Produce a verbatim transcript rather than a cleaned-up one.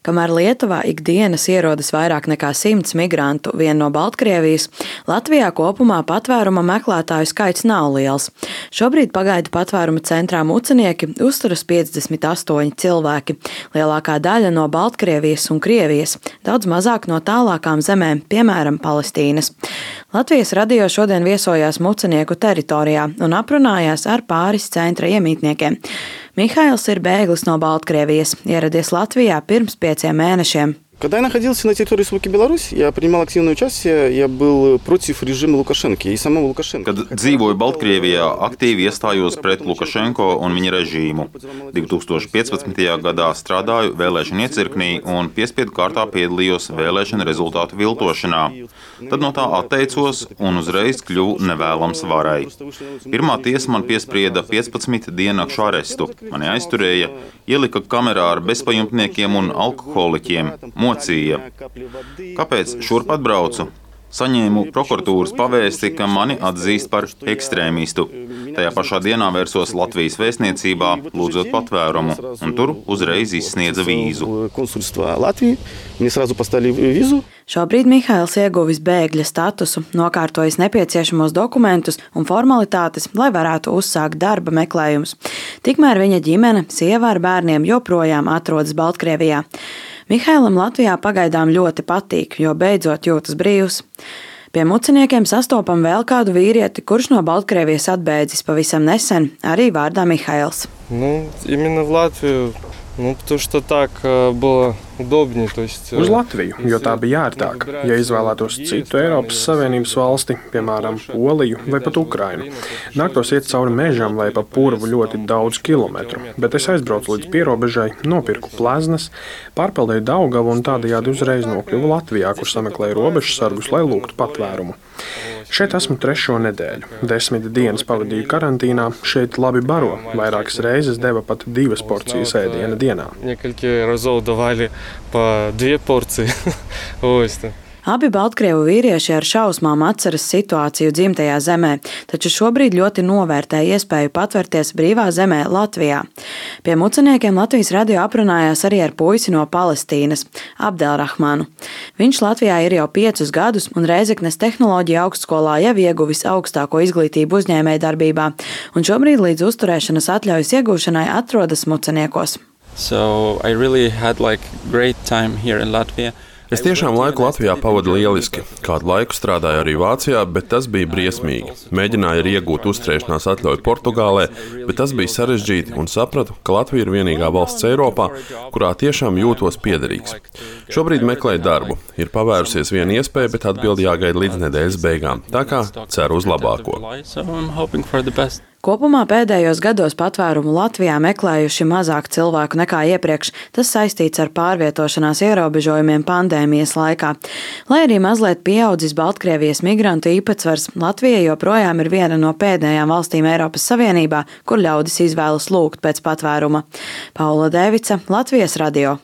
Kamēr Lietuvā ikdienas ierodas vairāk nekā simts migrantu vien no Baltkrievijas, Latvijā kopumā patvēruma meklētāju skaits nav liels. Šobrīd pagaidu patvēruma centrā Mucenieki uzturas piecdesmit astoņi cilvēki, lielākā daļa no Baltkrievijas un Krievijas, daudz mazāk no tālākām zemēm, piemēram, Palestīnas. Latvijas radio šodien viesojās Mucenieku teritorijā un aprunājās ar pāris centra iemītniekiem. Mihails ir bēglis no Baltkrievijas, ieradies Latvijā pirms pieciem mēnešiem. Когда я находился на территории Республики Беларусь, я принимал активное участие, я был против режима Лукашенко и самого Лукашенко. Kad dzīvoju Baltkrievijā, aktīvi iestājos pret Lukašenko un viņa režīmu. divi tūkstoši piecpadsmitajā gadā strādāju vēlēšanu iecirknī un piespiedu kārtā piedalījos vēlēšanu rezultātu viltošanā. Tad no tā atteicos un uzreiz kļuvu nevēlams varai. Pirmā tiesa man piesprieda piecpadsmit diennakšu arestu. Mani aizturēja, ielika kamerā ar bezpajumtniekiem un alkoholiķiem. Mocīja. Kāpēc šurp atbraucu? Saņēmu prokuratūras pavēsti, ka mani atzīst par ekstrēmistu. Tajā pašā dienā vērsos Latvijas vēstniecībā, lūdzot patvērumu, un tur uzreiz izsniedza vīzu. Šobrīd Mihails ieguvis bēgļa statusu, nokārtojis nepieciešamos dokumentus un formalitātes, lai varētu uzsākt darba meklējumus. Tikmēr viņa ģimene, sieva ar bērniem joprojām atrodas Baltkrievijā. Mihailam Latvijā pagaidām ļoti patīk, jo beidzot jūtas brīvs. Pie Muceniekiem sastopam vēl kādu vīrieti, kurš no Baltkrievijas atbēdzis pavisam nesen, arī vārdā Mihails. Nu, именно в Латвию, ну, потому что так было удобнее, то есть. Uz Latviju, jo tā bija ērtāk. Ja izvēlētos citu Eiropas Savienības valsti, piemēram, Poliju vai pat Ukrainu, nāktos iet cauri mežam vai pa purvu ļoti daudz kilometru, bet es aizbraucu līdz pierobežai, nopirku pleznas, pārpeldēju Daugavu un tādējādi uzreiz nokļuvu Latvijā, kur sameklēju robežsargus, lai lūgtu patvērumu. Šeit esmu trešo nedēļu. Desmit dienas pavadīju karantīnā, šeit labi baro, vairākas reizes deva pat divas porcijas ēdiena dienā. Несколько разов давали по две порции. Abi Baltkrievu vīrieši ar šausmām atceras situāciju dzimtajā zemē, taču šobrīd ļoti novērtē iespēju patvērties brīvā zemē Latvijā. Pie Muceniekiem Latvijas radio aprunājās arī ar puisi no Palestīnas, Abdelrahmanu. Viņš Latvijā ir jau piecus gadus un Rēzeknes tehnoloģija augstskolā jau ieguvis augstāko izglītību uzņēmējdarbībā, un šobrīd līdz uzturēšanas atļaujas iegūšanai atrodas Muceniekos. So I really had like great time here in Latvia. Es tiešām laiku Latvijā pavadu lieliski. Kādu laiku strādāju arī Vācijā, bet tas bija briesmīgi. Mēģināju arī iegūt uzturēšanās atļauju Portugālē, bet tas bija sarežģīti un sapratu, ka Latvija ir vienīgā valsts Eiropā, kurā tiešām jūtos piederīgs. Šobrīd meklēju darbu. Ir pavērusies viena iespēja, bet atbildi jāgaida līdz nedēļas beigām. Tā kā ceru uz labāko. Kopumā pēdējos gados patvērumu Latvijā meklējuši mazāk cilvēku nekā iepriekš. Tas saistīts ar pārvietošanās ierobežojumiem pandēmijas laikā. Lai arī mazliet pieaudzis Baltkrievijas migrantu īpatsvars, Latvija joprojām ir viena no pēdējām valstīm Eiropas Savienībā, kur ļaudis izvēlas lūgt pēc patvēruma. Paula Devica, Latvijas radio.